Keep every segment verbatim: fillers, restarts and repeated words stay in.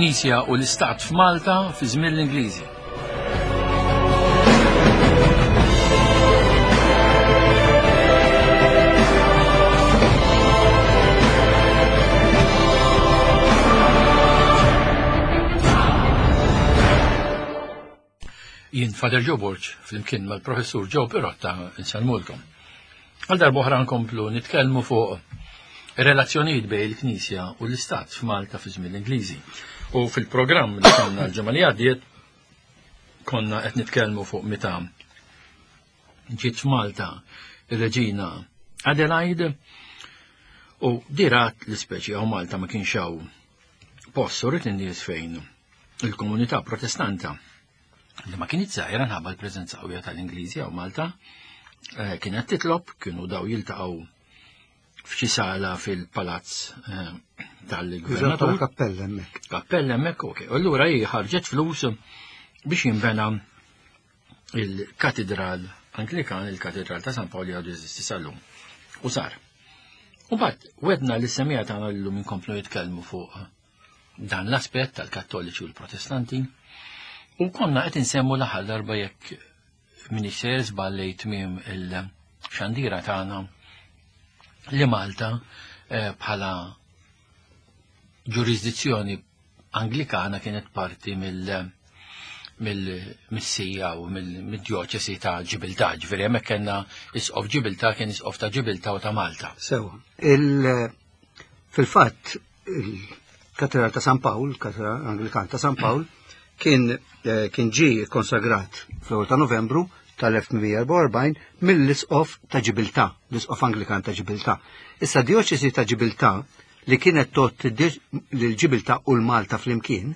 Il-Knisja u l-Istat f'Malta fi żmien l-Ingliżi. Jien Father Joe Borg flimkien mal-Professur Joe Pirotta nsellmulkom. Għal darb'oħra nkomplu nitkellmu fuq ir-relazzjonijiet bejn il-Knisja u l-Istat f'Malta fi żmien l-Ingliżi. U fil-programm li kellna l-ġimgħa li għaddiet konna qed nitkellmu fuq meta ġiet f'Malta ir-Reġina Adelaide u dirat l-ispeċi hawn Malta ma kienx hawn post u rrid in-nies fejn il-komunità protestanta li ma kienet żgħira nħabba l-preżenza qawwija tal-Ingliżi hawn Malta, eh, kienet titlob, kienu daw jiltaqgħu f'xi sala fil-palazz eh, tal-gvernatur. Kappella hemmhekk. Kappella hemmhekk, ok. U allura hi ħarġet flus biex jinbena il-katedral Anglikan, il-katedral ta' San Pawl li għadu jeżisti sal-lum. U sar. U bat, wedna li semija tagħna llum inkomplu jitkellmu fuq dan l-aspett tal-Kattoliċi u l-Protestanti. U konna qed insemmu l-aħħar darba jekk minix sejjer żball tmiem il-xandira tagħna li Malta eh, bħala ġurisdizzjoni Anglikana kienet parti mill mill-missija u mill-djoċesi ta' Ġibiltà, ġifieri hemmhekk kellna isqof Ġibiltà kien isqof ta' Ġibiltà u ta' Malta. Sewa. Fil-fatt, il-Katedral ta' San Pawl, il-Katedral Anglikan ta' San Pawl, kien eh, kien ġie konsagrat fl-ewwel ta' Novembru tal-elf tmien mija erbgħa u erbgħin mill-Isqof ta' Ġibiltà, l-Isqof Anglikan ta' Ġibiltà. Issa djoċesi ta' Ġibiltà li kienet tot l-Ġibiltà u l-Malta flimkien,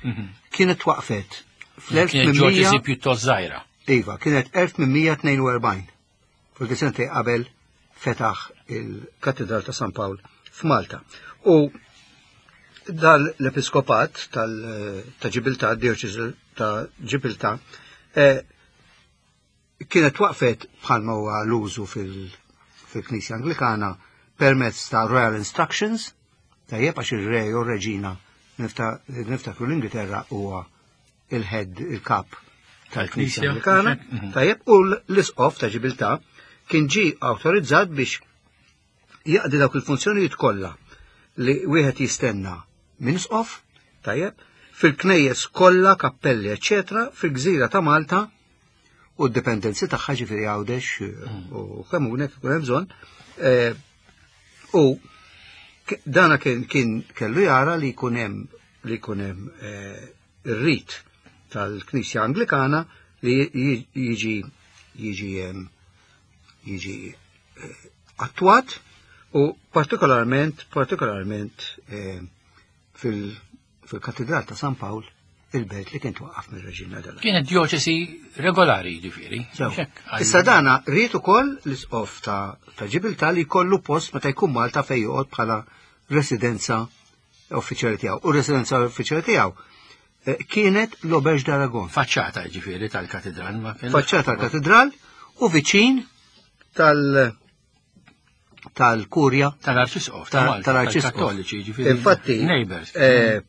Mhm. kienet waqfet fl-elf Kienet tmien mija djoċesi pjuttost żgħira. Iva, kienet elf tmien mija tnejn u erbgħin. Forsi sentej qabel fetaħ il-Katedral ta' San Pawl f'Malta. U dan l-episkopat tal-, ta' Ġibiltà, dioċesi ta' Ġibiltà, eh, kienet waqfet bħalma huwa l-użu fil-, fil-Knisja Anglikana permezz ta' Royal Instructions, tajjeb għax ir-re u r-reġina nifta-, niftakru l-Ingilterra huwa il-head, il-kap tal-Knisja Tal-Knisja, Anglikana, mhm. tajjeb, u l-isqof ta' Ġibiltà kien ġie awtorizzat biex jaqdi dawk il-funzjonijiet kollha li wieħed jistenna minn isqof, tajjeb, fil-knejjes kollha, kappelli, eċċetera, fil-gżira ta' Malta u d-dipendenzi tagħha, ġifieri Għawdex Mm. u Kemmuna kif ikun hemm bżonn. Eh, u k-, dana kien, kien kellu jara li jkun hemm, li jkun hemm, eh, ir-rit tal-Knisja Anglikana li ji-, jiġi, jiġi, em, jiġi, eh, attwat u partikolarment, partikolarment, eh, fil-, fil-Katedral ta' San Pawl, il-belt li kien twaqqaf mir-Reġina Adelaide. Kienet djoċesi regolari, ġifieri. Sew. Xek, għal- Issa dana ried ukoll l-isqof ta', ta' Ġibiltà li jkollu post meta jkun Malta fejn joqgħod bħala residenza uffiċjali tiegħu. U residenza uffiċjali tiegħu, eh, kienet l-Auberge d'Aragon. Faċċata ġifieri tal-katedral ma kien. Faċċata tal-katedral u viċin tal-, tal-kurja Tal-Arċisqof, ta' ta' Malta, tal-Arċisqof. tal-Kattoliċi, ġifieri. Infatti, neighbors. eh,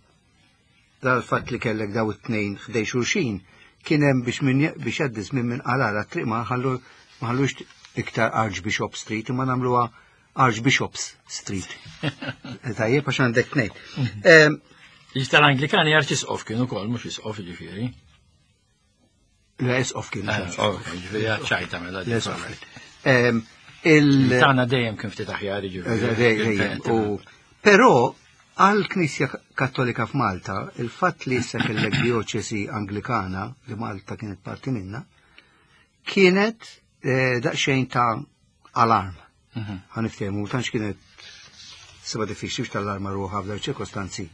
dal-fatt li kellek daw it-tnejn ħdej xulxin, kien hemm biex min j-, biex jgħaddi żmien minn qalala triq ma ħallu, ma ħallux iktar Archbishop Street, imma nagħmluha Archbishops Street. Tajjeb għax għandek tnejn. Mhm. Em, Iġ tal-Anglikani Arċisqof kienu wkoll, mhux isqof ġifieri. Le, isqof kienu, Eh, xi ok, ġifieri ċajta mela Le, isqof dik. kien. Em, il- Tagħna dejjem kien ftit aħjar, ġifieri. Eh, dejjem, u però għall-Knisja Kattolika f'Malta, il-fatt li issa kellek dioċesi Anglikana, li Malta kienet parti minna, kienet, eh, daqsxejn ta' alarm. Mhm. Ħaniftehmu, tantx kienet seba diffiċli biex tal-arma ruħha f'dawn ċirkostanzi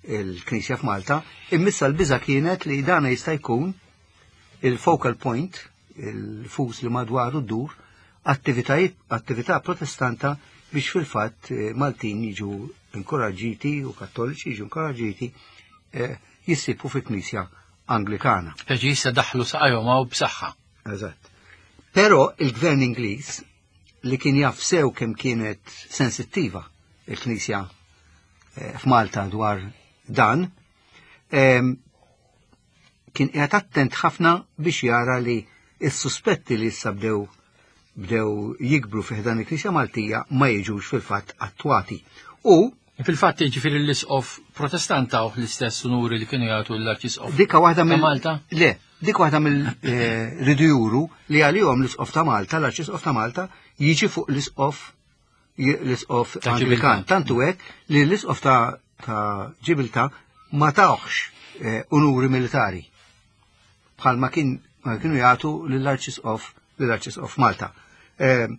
il-Knisja f'Malta, immissa l-biża kienet li dana jista' jkun il-focal point, il-fus li madwaru ddur, attivitajiet, attività protestanta biex fil-fatt, eh, Maltin jiġu inkoraġġiti u Kattoliċi jiġu inkoraġġiti, eh, jissibu fil-Knisja Anglikana. Speċi issa daħlu saqajhom hawn b'saħħa. Eżatt. Però il-gvern Ingliż li kien jaf sew kemm kienet sensittiva il-Knisja, eh, f'Malta dwar dan, Em, kien qiegħed attent ħafna biex jara li s-suspetti li issa bdew bdew jikbru fi ħdan il-Knisja Maltija ma jiġux fil-fatt attwati. U Fil-fatt ġifieri l-isqof Protestant taw l-istess unuri li kienu jagħtu l-Arċisqof Dika waħda ta' mill Malta. Le, dik waħda mill-ridu juru li għalihom l-isqof ta' Malta, l-Arċisqof ta' Malta, jiġi fuq l-isqof l-isqof Ta' Anglikan. Ġibiltà. Tantu hekk li l-isqof ta' ta' Ġibiltà ma tawx eh, unuri militari. Bħalma kien ma kienu jagħtu lill-Arċisqof lill-Arċisqof Malta. Eh,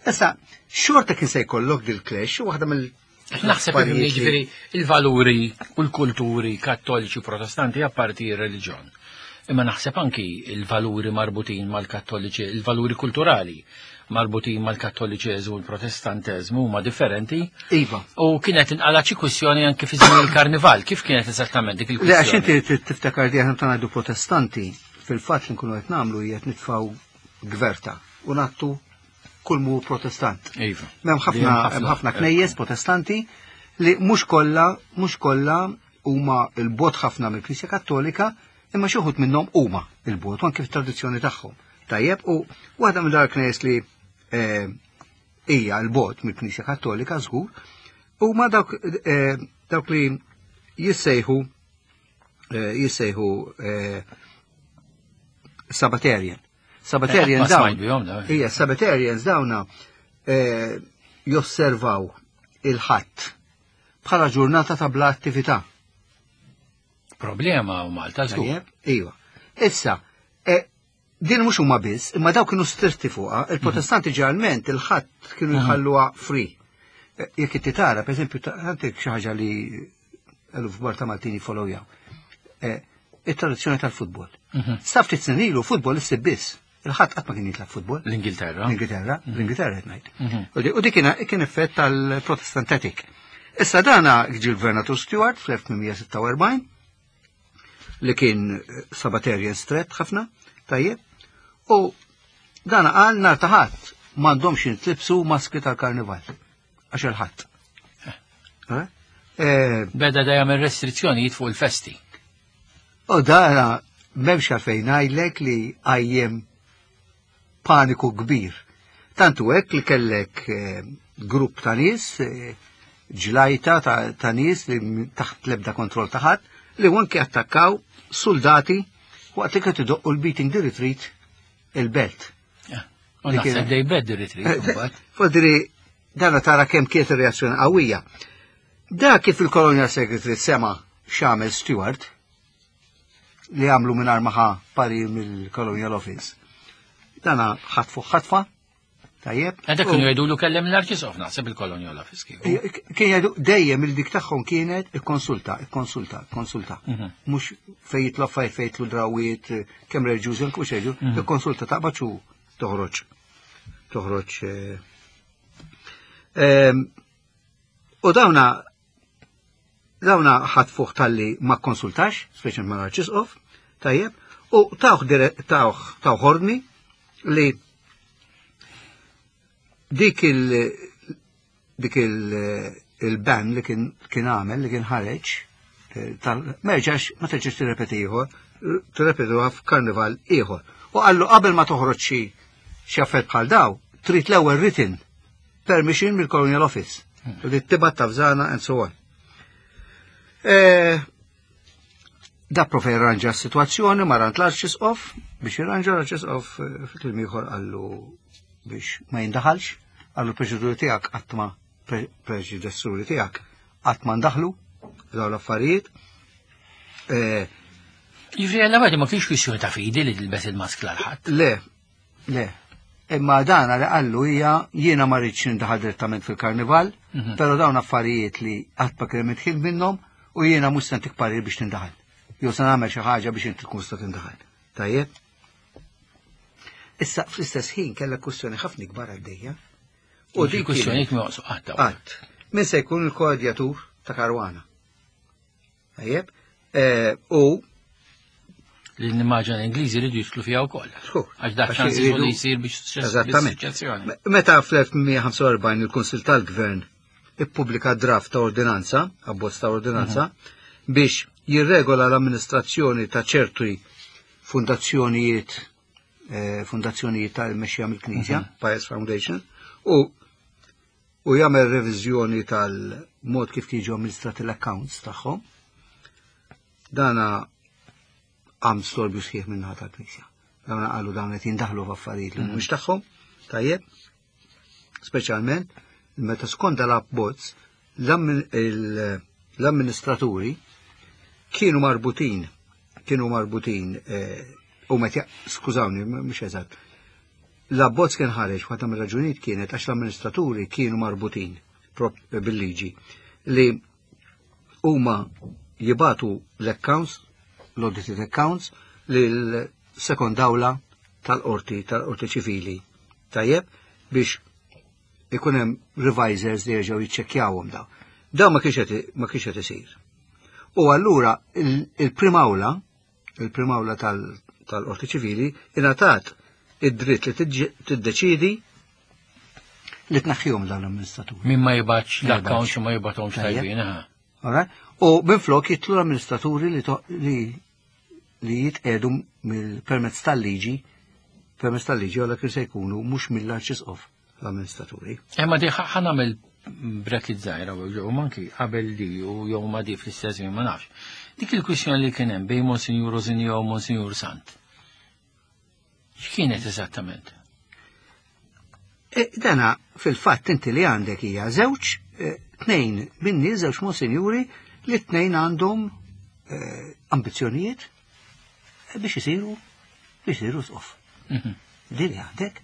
Issa, xorta kien se jkollok dil-clash, waħda mill Naħseb affarijiet li- ġifieri il-valuri u l-kulturi kattoliċi u protestanti apparti ir-reliġjon. Imma naħseb anki il-valuri marbutin mal-kattoliċi, il-valuri kulturali marbutin mal-kattoliċeżmu u l-protestanteżmu huma differenti. Iva. U kienet inqala xi kwistjoni anki fi żmien il-karnival. Kif kienet eżattament dik Le, għax il-kwistjoni? inti trid tiftakar li aħna ta' ngħidu protestanti, fil-fatt li nkunu qed nagħmlu hija qed nitfgħu gverta u nattu kull mu protestant. Iva. M'hemm ħafna hemm ħafna knejjes protestanti li mhux kollha mhux kollha huma l-bogħod ħafna mill-Knisja Kattolika, imma xi wħud minnhom huma l-bogħod u anke fit-tradizzjoni tagħhom. Tajjeb, u waħda minn dar knejjes li eh, hija l-bogħod mill-Knisja Kattolika żgur, huma dawk eh, dawk li jissejħu eh, jissejħu eh, Sabbatarian. Sabbatarian Ma dawn. smajt bihom, da. Ija, Sabbatarians dawna eh, josservaw il-ħadd bħala ġurnata ta' bla attività. Problema u Malta żgur. Tajjeb? Iva. Issa, eh, din mhux huma biss, imma dawk kienu stretti fuqha, il-Protestanti ġeneralment il-ħadd kienu jħalluha free. Eh, Jekk inti tara, per eżempju, għandek xi ħaġa li eluf kbar ta' Maltin jifollowjaw. Eh, Il-tradizzjoni tal-futbol. Sa ftit snin ilu futbol issib biss. Il-ħadd qatt ma kien jitlab futbol. L-Ingilterra. L-Ingilterra, l-Ingilterra qed ngħid. U di- U dik kien kien effett tal-Protestant ethic. Issa dana ġi l-Gvernatur Stewart fl-elf tmien mija sitta u erbgħin li kien eh, Sabbatarian stret ħafna, tajjeb, u dana qal nhar ta' ħadd m'għandhomx jintlibsu maskri tal-karnival għax il-ħadd. Eh? Eh, Beda dejjem ir-restrizzjonijiet fuq il-festi. U dana m'hemmx għalfejn ngħidlek li għajjem paniku kbir. Tantu hekk li kellek eh, grupp ta' nies, eh, ġlajta ta', ta' nies li m- taħt lebda kontroll ta' ħadd, li anke attakkaw soldati waqt li kienu idoqqu l-beating the retreat il-belt. U Li naħseb kien- dej bed retreat imbagħad. Fodri, dana tara kemm kienet ir-reazzjoni qawwija. Da kif il-Colonial Secretary sema x'għamel Stewart li għamlu minn maħa parir mill-Colonial Office. Dana ħatfu ħatfa, tajjeb. Għandek U- kienu jgħidulu kellem l-Arċisqof naħseb il-Colonial Office kieku. Kien jgħidu dejjem il-dik tagħhom kienet ikkonsulta, ikkonsulta, ikkonsulta. Mhm. Mhux fejn jitlu affarijiet fejn jitlu drawiet, kemm reliġjużi anke mhux reliġjuż, Mhm. ikkonsulta taqbad u toħroġ. Toħroġ. eh, ehm, U dawna dawna ħatfuh talli ma konsultax, speċjalment ma l-Arċisqof, tajjeb, u tawh dire- tawh tawh ordni li dik il dik il il-ban li kien kien għamel li kien ħareġ eh, tal ma jerġax ma terġax tirrepeti ieħor, tirrepetuha f'karnival ieħor. U qallu qabel ma toħroġ xi xi affett bħal daw, trid l-ewwel written permission mill-Colonial Office. U li tibgħat tavżana and so on. Eh, Da prova jirranġa s-situazzjoni, mar għand l-Arċisqof, biex jirranġa l-Arċisqof eh, fi kliem ieħor qallu biex ma jindaħalx, qallu l-preċeduri tiegħek qatt ma preċedessuri tiegħek qatt ma ndaħlu f'dawn l-affarijiet. Eh, Jiġifieri għalla għadi ma kienx kwistjoni ta' fidi li tilbes il-maskla l-ħadd. Le, le. Imma dana li qallu hija jiena ma rridx nindaħal direttament fil-karnival, Mhm. però dawn affarijiet li qatt ma kien hemm minnhom u jiena mhux se ntik parir biex tindaħal. Jew se nagħmel xi ħaġa biex inti tkun tista' tindaħal. Tajjeb? Issa fl-istess ħin kellha kwistjoni ħafna ikbar għaddejja. U dik kwistjonijiet ma joqsu qatt dawn. Qatt. Min se jkun il-koordjatur ta' Caruana. Tajjeb? Eh, U Li nimmaġina l-Ingliżi jridu jidħlu fiha wkoll. Żgur. Għax dak Għax ċans iridu- li jsir biex Eżattament. suċċessjoni. Meta fl-elf tmien mija ħamsa u erbgħin il-Kunsil tal-Gvern ippubblika draft ta' ordinanza, abbozz ta' ordinanza, biex jirregola l-amministrazzjoni ta' ċerti fundazzjonijiet eh, fundazzjonijiet tal-mexxija mill-Knisja, Pious Foundation, u u jagħmel reviżjoni tal-mod kif jiġu amministrati l-accounts tagħhom. Dana għam storbju sħiħ minnaħa tal-Knisja. Dawna qalu dawn qed jindaħlu f'affarijiet li mhumiex tagħhom, tajjeb, speċjalment meta skont l-abbozz l-amministraturi kienu marbutin, kienu marbutin, eh, u meta, skużawni, mhux eżatt, l-abbozz kien ħareġ, waħda mir-raġunijiet kienet għax l-amministraturi kienu marbutin bil-liġi li huma jibatu l-accounts, l-audited accounts, lil-second awla tal-qorti, tal-qorti ċivili. Tajjeb, biex ikun hemm revisors li jerġgħu jiċċekkjawhom daw. Daw ma kienx ma kienx qed isir. U allura il-primawla, il-primawla tal-qorti ċivili ingħatat id-dritt li tiddeċidi li tnaħħihom dawn l-amministraturi. Min ma jibgħatx l-accounts u ma jibgħathomx tajbin. U minflok jitlu l-amministraturi li li li jitqedu mill-permezz tal-liġi, permezz tal-liġi għalla kien se jkunu mhux mill-arċisqof l-amministraturi. Imma di ħa nagħmel bracket żgħira u manki qabel di u jew ma di fl-istess ma nafx. Dik il-kwistjoni li kien hemm bejn Monsinjur Rosinjo u Monsinjur Sant. X'kienet eżattament? E, dana fil-fatt inti li għandek hija żewġ e, tnejn minni żewġ monsinjuri li tnejn għandhom e, ambizzjonijiet biex isiru biex isiru sqof. Mhm. Li li għandek.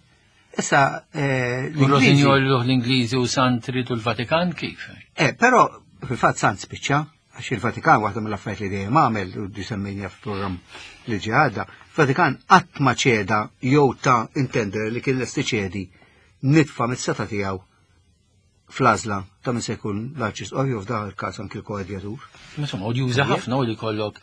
Issa l-Ingliżi l-Ingliżi u Sant ridu l-Vatikan kif? Eh, però fil-fatt Sant spiċċa għax il-Vatikan waħda mill-affarijiet li dejjem għamel u disemmejna f'programm li ġi għadda, Vatikan qatt ma ċeda jew ta' intender li kien lest iċedi nitfa mis-seta tiegħu fl-għażla ta' min se jkun l-arċisqof jew f'dan il-każ anki l-koadjatur. Insomma, odjuża ħafna u li kollok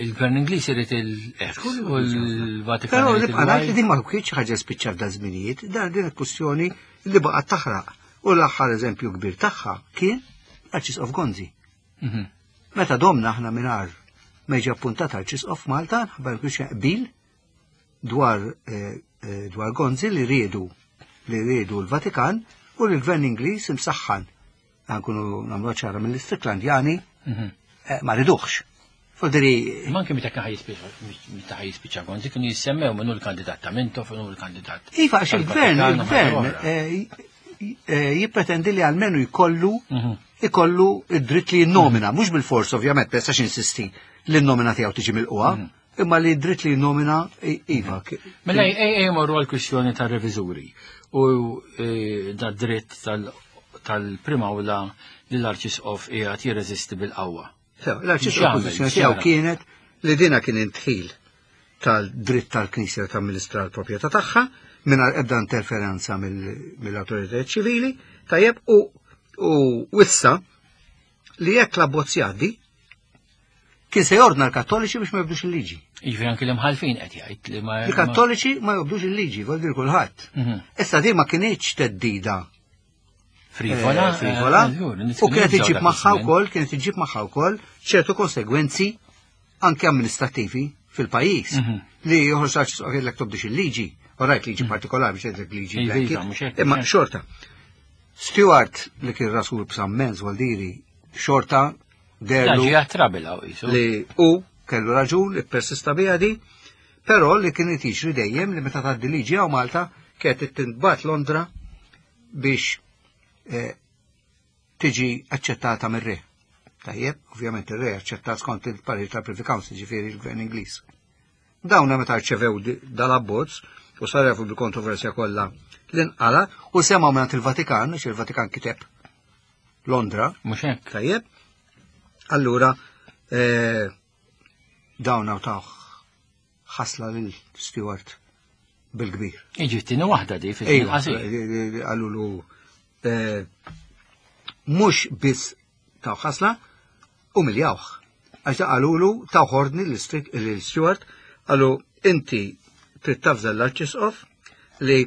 il-gvern Ingliż irid il-X u l-Vatikan. Però nibqa' ngħid li din ma kienx ħaġa spiċċa f'dan żminijiet, dan din il-kwistjoni li baqgħet taħraq. U l-aħħar eżempju kbir tagħha kien l-Arċisqof Gonzi. Mhm. Meta domna aħna mingħajr ma jiġi appuntat Arċisqof Malta, ħabba kienx qbil dwar eh, eh, dwar Gonzi li riedu li riedu l-Vatikan u l-gvern Ingliż imsaħħan. Nkunu nagħmlu ċara mill-Istriklandjani mhm. eh, ma riduħx. Fodri. Manki meta kien meta ħajispiċċa Gonzi kienu jissemmew minnu l-kandidat ta' Mintoff u l-kandidat. Iva, għax il-gvern, il-gvern eh, eh, jippretendi li għalmenu jkollu mhm. ikollu id-dritt li jinnomina, mhux bil-fors ovvjament, ma jistax insisti li n-nomina tiegħu tiġi mill-qwa, mhm. imma li dritt li jinnomina iva. Mela ej morru għal-kwistjoni tar-reviżuri u e, da dritt tal-primawla li l-arċisqof qiegħed jirreżisti bil-qawwa. L-arċisqof pożizzjoni tiegħu kienet li dina kien intħil tal-dritt tal-Knisja ta' amministra l-proprjetà tagħha mingħajr ebda interferenza mill-awtoritajiet ċivili, tajjeb u u wissa li jekk l-abbozz jgħaddi kien se jordna l-Kattoliċi biex ma jobdux il-liġi. Jiġifieri anki l-imħalfin qed jgħid li ma Il-Kattoliċi ma jobdux il-liġi, vol dir kulħadd. Mhm. Issa di ma kienx teddida Frivola, eh, frivola. Eh, u kienet iġib magħha wkoll, kienet iġib magħha wkoll ċertu konsegwenzi anke amministrativi fil-pajjiż mhm. li joħroġ għax tobdix il-liġi, u rajt liġi mhm. partikolari biex jgħidlek liġi iva, imma xorta. Stewart li kien rasul b'sammenz Waldiri xorta derlu li u kellu raġun li persista biha di, però li kien jiġri dejjem li meta tgħaddi liġi hawn Malta kienet tintbat Londra biex eh, tiġi aċċettata mir-re. Tajjeb, ovvjament ir-re aċċettat skont il-parir tal-Privy Council, ġifieri l-Gvern Ingliż. Dawna meta rċevew dal-abbozz u sarrefu bil-kontroversja kollha l-inqala u semgħu mingħand il-Vatikan, għax il-Vatikan kiteb Londra. Mhux hekk. Tajjeb. Allura eh, dawn tawh ħasla lil Stewart bil-kbir. Iġi t-tieni waħda di fil-qasir. Għallulu eh, mhux biss taw ħasla, umiljawh. Għax da qalulu taw ordni l-Stewart, qalu inti trid tafżel l-Arċisqof li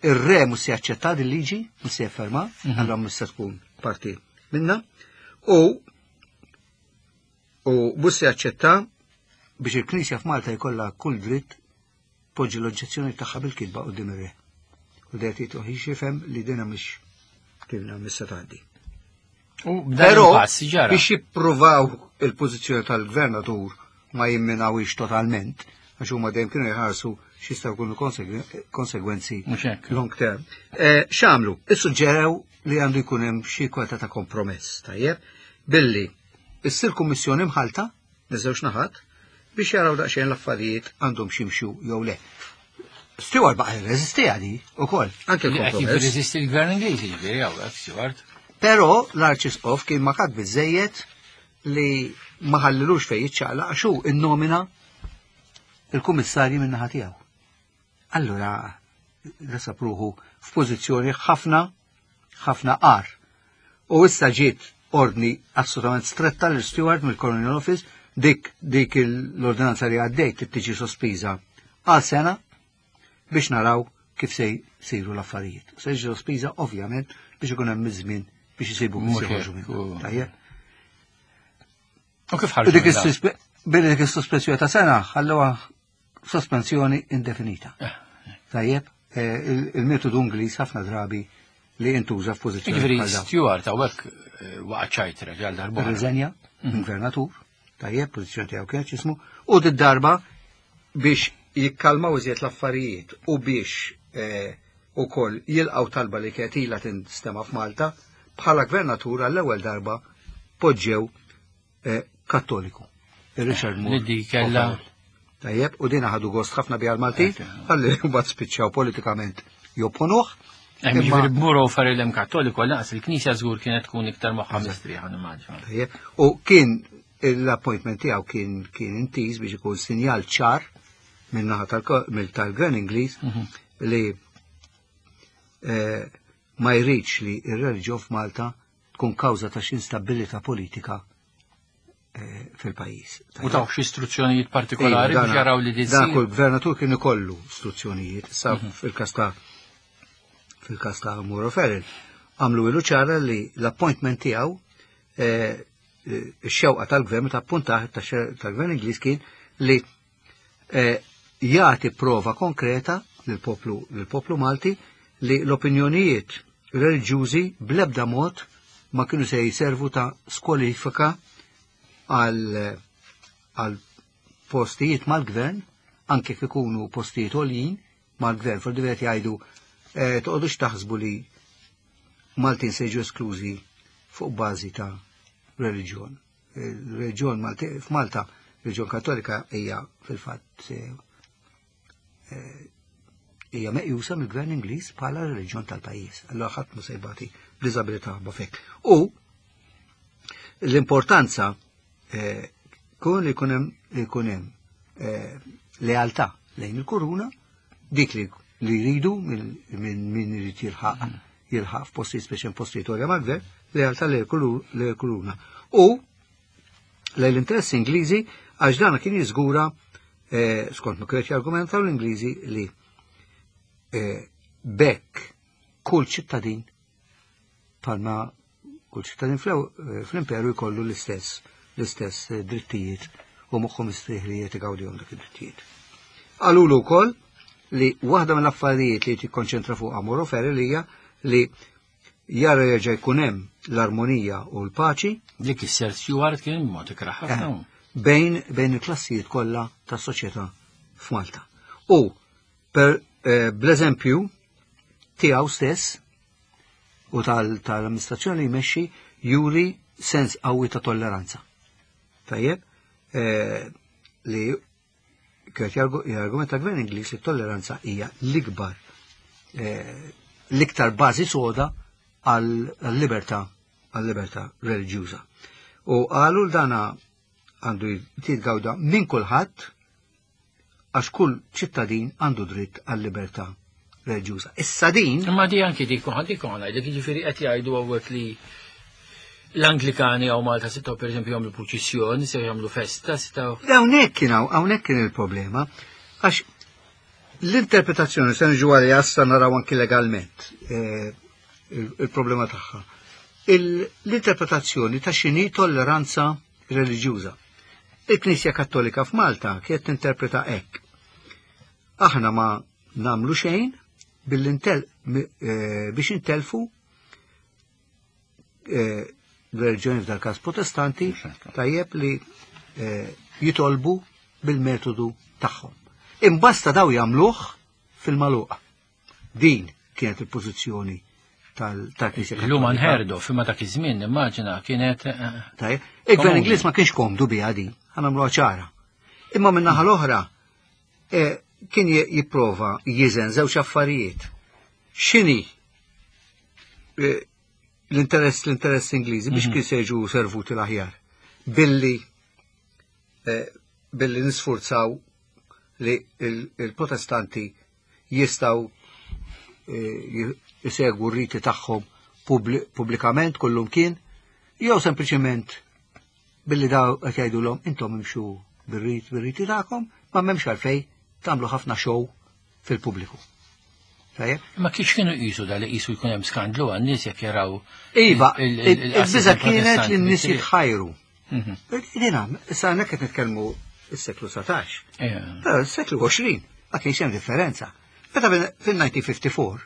ir-re mhux se jaċċetta din liġi, mhux se jafferma, mhm. allura mhux se tkun parti minna, u U mhux se jaċċetta biex il-Knisja f'Malta jkollha kull dritt poġġi l-oġġezzjoni tagħha bil-kitba quddiem ir-re. U dejt jitruħ jifhem li dina mhix kien missa tgħaddi. U b'dan Però il-pass ġara. biex jippruvaw il-pożizzjoni tal-gvernatur ma jimminawix totalment, għax huma dejjem kienu jħarsu x'jistgħu jkunu konsegwe- konsegwenzi Mhux hekk. long term. Eh, X'għamlu? Issuġġerew li għandu jkun hemm xi kwalità ta' kompromess, tajjeb, billi issir kummissjoni mħalta, miż-żewġ naħat, biex jaraw daqsxejn l-affarijiet għandhom ximxu jew le. Stewart baqa' jirreżistiha di ukoll, anke Li qed l-kompromess. jirreżisti l-gvern Ingliż, jiġifieri hawnhekk Stewart. Però l-Arċisqof kien makak biżejjed li ma ħallilux fejn jiċċaqlaq għax hu innomina il-kummissarji min-naħa tiegħu. Allura sab ruħu f'pożizzjoni ħafna ħafna qar. U issa ġiet ordni assolutament stretta l Stewart mill-Colonial Office dik dik l-ordinanza li għaddejt trid tiġi sospiża għal sena biex naraw kif se jsiru l-affarijiet. Se jiġi sospiża ovvjament biex ikun hemm iż-żmien biex isibu kif Mhux se joħorġu hekk, minnha. u- Tajjeb. U kif U ħarġu dik minn dan? is-suspe- billi dik is-sospensjoni ta' sena ħalluha sospensjoni indefinita. Eh, Tajjeb, eh, il- il-metodu Ingliż ħafna drabi li intuża f'pożizzjoni Jiġifieri bħal dawn. Stewart hawnhekk eh, waqa' ċajtra għal darba. Irriżenja, gvernatur, tajjeb, pożizzjoni tiegħu kienet jismu, u d-darba biex jikkalmaw iżjed l-affarijiet u biex eh, ukoll jilqgħu talba li kienet ilha tinstema' f'Malta, bħala gvernatur għall-ewwel darba poġġew eh, Kattoliku. Richard Moore. Li di kellha- O'Farrell. Tajjeb, u dina ħadu gost ħafna biha l-Maltin, għalli mbagħad spiċċaw politikament jopponuh. Hemm Imma- jiġifieri b'Moore O'Farrell hemm Kattoliku għal il-Knisja żgur kienet tkun iktar moħħa mistrieħa nimmaġina. Tajjeb, U kien l-appointment tiegħu kien kien intiż biex ikun sinjal ċar min-naħa tal- mill- tal-Gvern Ingliż li eh, ma jridx li ir-reliġjon f'Malta tkun kawża ta' xi instabilità politika eh, fil-pajjiż. U taw xi istruzzjonijiet partikolari Iva, biex dana- jaraw li din Dan ssir. kull gvernatur kien ikollu istruzzjonijiet, sa fil-każ ta' fil-każ ta' Moore O'Farrell, għamlu ilu ċara li l-appointment tiegħu eh, eh, ix-xewqa tal-gvern ta' appuntaħ tal-gvern Ingliż kien li eh, jagħti prova konkreta lill-poplu lill-poplu Malti li l-opinjonijiet reliġjużi bl-ebda mod ma kienu se jiservu ta' skwalifika għal għal postijiet mal-gvern, anke kif ikunu postijiet għoljin mal-gvern, fil qed jgħidu eh, toqgħodux taħsbu li Maltin se jiġu esklużi fuq bażi ta' reliġjon. Il-reliġjon Malti f'Malta, reliġjon Kattolika hija fil-fatt eh, eh, hija meqjusa mill-gvern Ingliż bħala reliġjon tal-pajjiż. Allura ħadd ma se jbati b'diżabilità b'fek. U l-importanza eh, kun li jkun hemm li jkun hemm eh, lealtà lejn il-kuruna, dik li li jridu minn min irid jilħaq jilħaq f'postijiet speċi postijiet għolja mal-gvern, lealtà lejn il-kuruna. U lejn l-interessi Ingliżi għax dan kien jiżgura eh, skont ma kienet jargumentaw l-Ingliżi li eh, bekk kull ċittadin palma kull ċittadin fl- fl-imperu jkollu l-istess l-istess eh, drittijiet u moħħu mistrieħ li jgawdihom dak id-drittijiet. Qalulu wkoll li waħda mill-affarijiet li tikkonċentra fuq Moore O'Farrell hija li jara jerġa' jkun hemm l-armonija u l-paċi Dik is-Sir Stewart kien mod ikrah ħafna. bejn bejn il-klassijiet kollha tas-soċjetà f'Malta. U per eh, bl-eżempju tiegħu stess u tal- tal-amministrazzjoni li jmexxi juri sens qawwi ta' tolleranza. Tajjeb, eh, li kienet jargumenta gvern Ingliż li t-tolleranza hija l-ikbar eh, l-iktar bażi soda għall-libertà għall-libertà reliġjuża. U qalu l-dana għandu jitgawda minn kulħadd għax kull ċittadin għandu dritt għall-libertà reliġjuża. Issa din Imma di anki dik dik ngħidlek jiġifieri qed jgħidu hawnhekk li l-Anglikani hawn Malta setgħu pereżempju jagħmlu purċissjoni, se jagħmlu festa, setgħu Hawnhekk kien hawn hawnhekk kien il-problema għax l-interpretazzjoni se niġu għalija issa naraw anki legalment eh, il- il-problema tagħha. Il- L-interpretazzjoni ta' x'inhi tolleranza reliġjuża. Il-Knisja Kattolika f'Malta kienet tinterpreta hekk. Aħna ma namlu xejn billi biex intelfu l-reliġjoni f'dal każ protestanti tajjeb li jitolbu bil-metodu tagħhom. Imbasta daw jagħmluh fil-maluq. Din kienet il-pożizzjoni tal-Knisja. Illum nħerdu, fimma dak iż-żmien nimmaġina kienet. Tajjeb, il-Gvern Ingliż ma kienx komdu biha din, ħa nagħmluha ċara. Imma min-naħa l-oħra kien jipprova jiżen żewġ affarijiet. X'inhi l-interess l-interess Ingliżi biex kien se jiġu servuti l-aħjar billi billi nisfurzaw li il-protestanti jistaw jisegwu r-riti tagħhom pubblikament kullum kien, jew sempliċement billi daw qed jgħidulhom intom imxu bir-rit bir-riti tagħkom, ma m'hemmx għalfejn tagħmlu ħafna show fil-pubbliku. Ma kiex kienu qisu da li qisu jkun hemm skandlu għan-nies jekk jaraw. Iva, il-biża kienet li n-nies jitħajru. Dina, issa hawnhekk qed nitkellmu s-seklu satax. Però s-seklu għoxrin ma kienx hemm differenza. Meta fil-nineteen fifty-four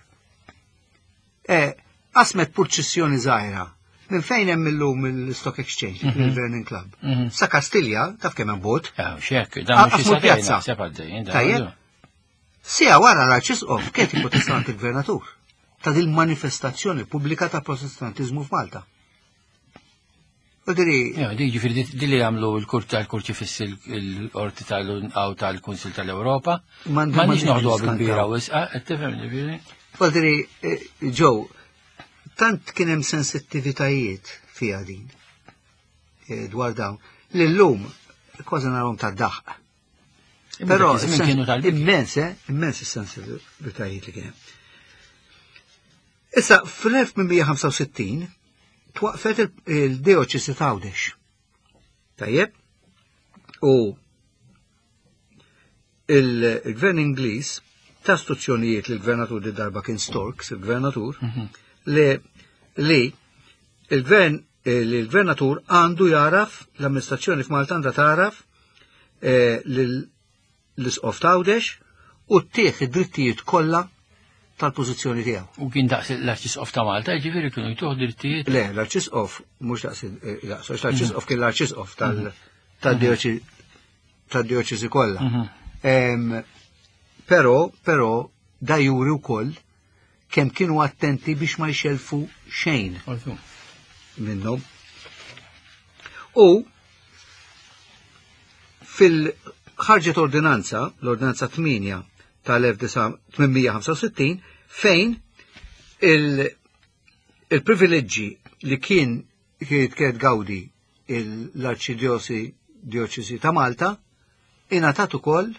qasmet purċissjoni żgħira minn fejn hemm illum il-Stock Exchange, il-Vernon Club. Sa Kastilja, taf kemm hemm bot. Xek, dan mhux pjazza. Tajjeb. Sija wara l-Arċisqof kien il-Protestant il-Gvernatur ta' din manifestazzjoni pubblika ta' Protestantiżmu f'Malta. Di ġifieri di li jagħmlu l-kurti tal-kurċifiss il-qorti tal-għaw tal-Kunsil tal-Ewropa. M'għandniex noħduha bil-bira wisqa, qed tifhem ġifieri. Fadri, ġew, tant kien hemm sensittivitajiet fiha din dwar dawn li llum kważi narhom tad-daħq. Però immens, immens is-sensittivitajiet li kien hemm. Issa fl-elf tmien mija ħamsa u sittin twaqfet il-dioċesi ta' Għawdex. Tajjeb? U il-gvern Ingliż ta' istruzzjonijiet li l-gvernatur di darba kien Storks, il-gvernatur, li li il-gvern il-gvernatur għandu jaraf, l-amministrazzjoni f'Malta għandha taraf l-isqof ta' Għawdex u ttieħ id-drittijiet kollha tal-pożizzjoni tiegħu. U kien daqs l-Arċisqof ta' Malta, jiġifieri kienu jtuh drittijiet? Le, l-Arċisqof mhux daqs daqs, l-Arċisqof kien l-Arċisqof tal-dioċesi kollha. Però, però da juri wkoll kemm kienu attenti biex ma jxelfu xejn minnhom. U fil-ħarġet ordinanza, l-ordinanza tmienja tal-elf tmien mija ħamsa u sittin, fejn il-privileġġi li kien kienet gawdi l-Arċidjosi Dioċesi ta' Malta ingħatat ukoll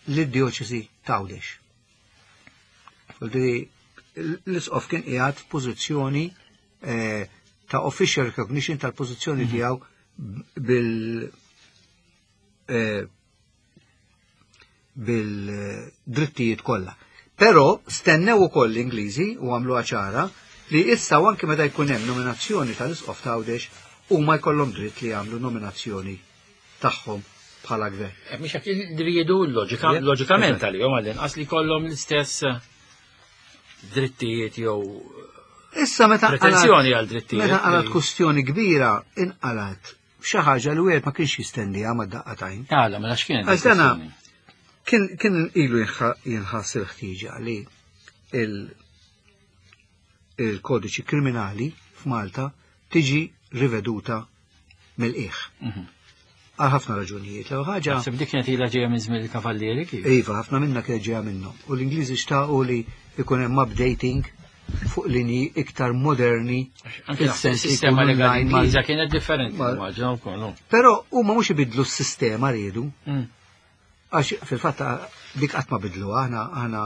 lid-Dioċesi ta' Għawdex. L-isqof kien qiegħed f'pożizzjoni ta' official recognition tal-pożizzjoni tiegħu bil bil-drittijiet kollha. Però stennew ukoll l-Ingliżi u għamluha ċara li issa anke meta jkun hemm nominazzjoni tal-Isqof ta' Għawdex huma jkollhom dritt li jagħmlu nominazzjoni tagħhom bħala gvern. Mhux hekk riedu loġikament għalihom għall-inqas li jkollhom l-istess drittijiet jew Issa meta pretenzjoni għal drittijiet. Meta qalat kwestjoni kbira inqalat xi ħaġa li wieħed ma kienx jistenniha mad-daqqa tajn. Għala, mela x'kienet? Għax dana kien kien ilu jinħass il-ħtieġa li il-kodiċi kriminali f'Malta tiġi riveduta mill-qiegħ. Għal ħafna raġunijiet. L-ewwel ħaġa. Naħseb dik kienet ilha ġejja minn żmien il-Kavallieri kif? Iva, ħafna minnha kienet ġejja minnhom. U l-Ingliżi xtaqu li jkun hemm updating fuq linji iktar moderni. Anke fis-sens li s-sistema jkunu legali inline mal- Ingliża kienet differenti, mal- immaġina wkoll, no? Però huma mhux ibidlu s-sistema riedu. Mm. Għax fil-fatt dik qatt ma bidlu, aħna, aħna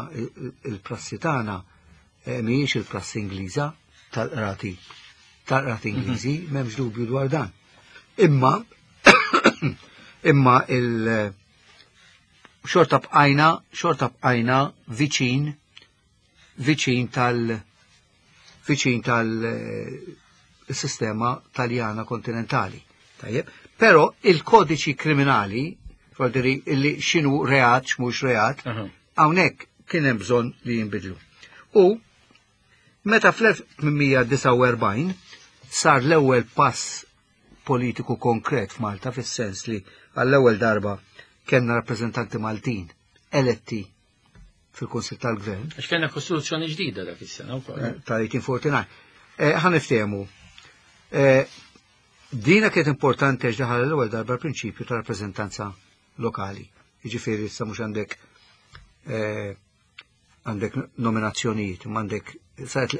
il-prassi tagħna, eh, mhijiex il-prassi Ingliża tal-qrati, tal-qrati Ingliżi, Mhm. m'hemmx dubju dwar dan. Imma imma il xorta bqajna, xorta bqajna viċin, viċin tal viċin tal, eh, sistema taljana kontinentali. Tajjeb, Però il-kodiċi kriminali, vuol illi x'inhu reat, x'mhux reat, hawnhekk kien hemm bżonn li jinbidlu. U meta fl-elf tmien mija disgħa u erbgħin sar l-ewwel pass politiku konkret f'Malta, fis-sens li għall-ewwel darba kellna rappreżentanti Maltin eletti fil-Kunsill tal-Gvern. Għax kellna kostituzzjoni ġdida dak is-sena wkoll. Eh, tal-eighteen forty-nine. Eh, ħa niftehmu. Eh, dina kienet importanti għax daħal l-ewwel darba l-prinċipju ta' rappreżentanza lokali. Jiġifieri issa mhux għandek, eh, għandek nominazzjonijiet, imma għandek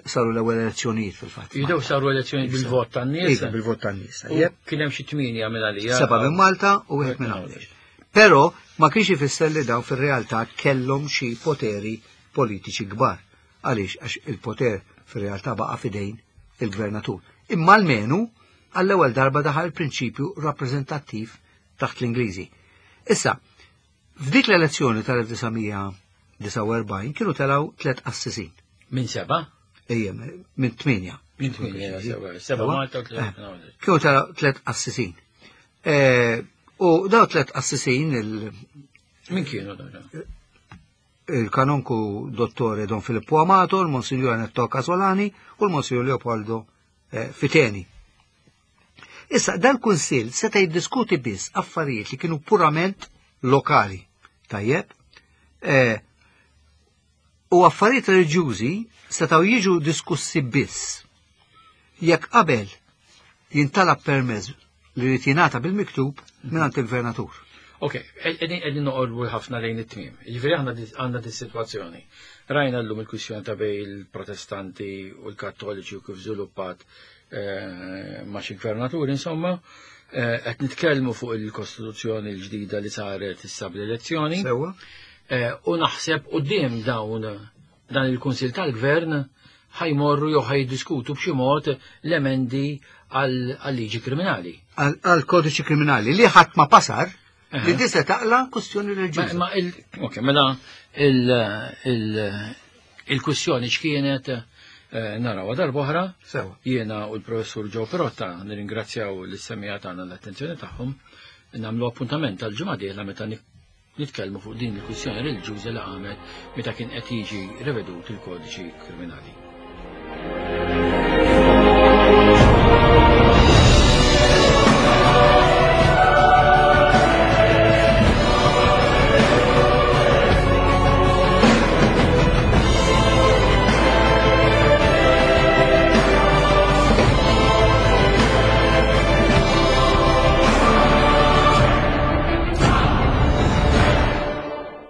saru l-ewwel elezzjonijiet fil-fatt. Jibdew saru elezzjonijiet bil-vot tan-nies. Iva, bil-vot tan-nies, U tajjeb. kien hemm xi tmienja minn għalija. Seba' minn Malta u wieħed minn Għawdex. Però ma kienx ifisser li dawn fir-realtà kellhom xi poteri politiċi kbar. Għaliex? Għax il-poter fir-realtà baqa' f'idejn il-gvernatur. Imma almenu għall-ewwel darba daħal il-prinċipju rappreżentattiv taħt l-Ingliżi. Issa, f'dik l-elezzjoni tal-elf disa' mija disgħa u erbgħin kienu telgħu tliet qassisin. Minn seba'? Ejja, minn tmienja. Minn tmienja, seba'. Seba' Malta u tliet Eh, minn Għawdex. Kienu telgħu tliet qassisin. Eh, u daw tliet qassisin il- Min kienu dawn? Il-kanonku dottore Don Filippo Amato, il-Monsignor Netto Casolani u l-Monsignor Leopoldo, eh, Fiteni. Issa, dal-Kunsill seta' jiddiskuti biss affarijiet li kienu purament lokali. Tajjeb? Eh, u affarijiet reliġjużi setgħu jiġu diskussi biss jekk qabel jintalab permess li jrid jingħata bil-miktub mingħand il-gvernatur. Ok, qegħdin, qegħdin noqorbu ħafna lejn it-tmiem. Jiġifieri aħna di-, għandna dis-sitwazzjoni. Rajna llum il-kwistjoni ta' bejn il-Protestanti u l-Kattoliċi u kif żviluppat, eh, ma' xi gvernaturi, insomma, eh, qed nitkellmu fuq il-Kostituzzjoni l-ġdida li saret issa bl-elezzjoni. Sewwa. Eh, u naħseb quddiem dawn dan il-Kunsill tal-Gvern ħajmorru jew ħajdiskutu b'xi mod l-emendi għal-liġi kriminali. Għal-kodiċi kriminali li ħadd ma pasar, Aha. li disa taqla kwestjoni reliġjuża. Ma, ma il, ok, mela il, il, il-kwestjoni x'kienet, eh, narawha darb'oħra. Sewa. Jiena u l-professur Joe Pirotta nirringrazzjaw lis-semmiegħa tagħna l-attenzjoni tagħhom, nagħmlu appuntament tal-ġimgħa dieħla meta nik-, nitkellmu fuq din il-kwistjoni reliġjuża li qamet meta kien qed jiġi rivedut il-kodiċi kriminali.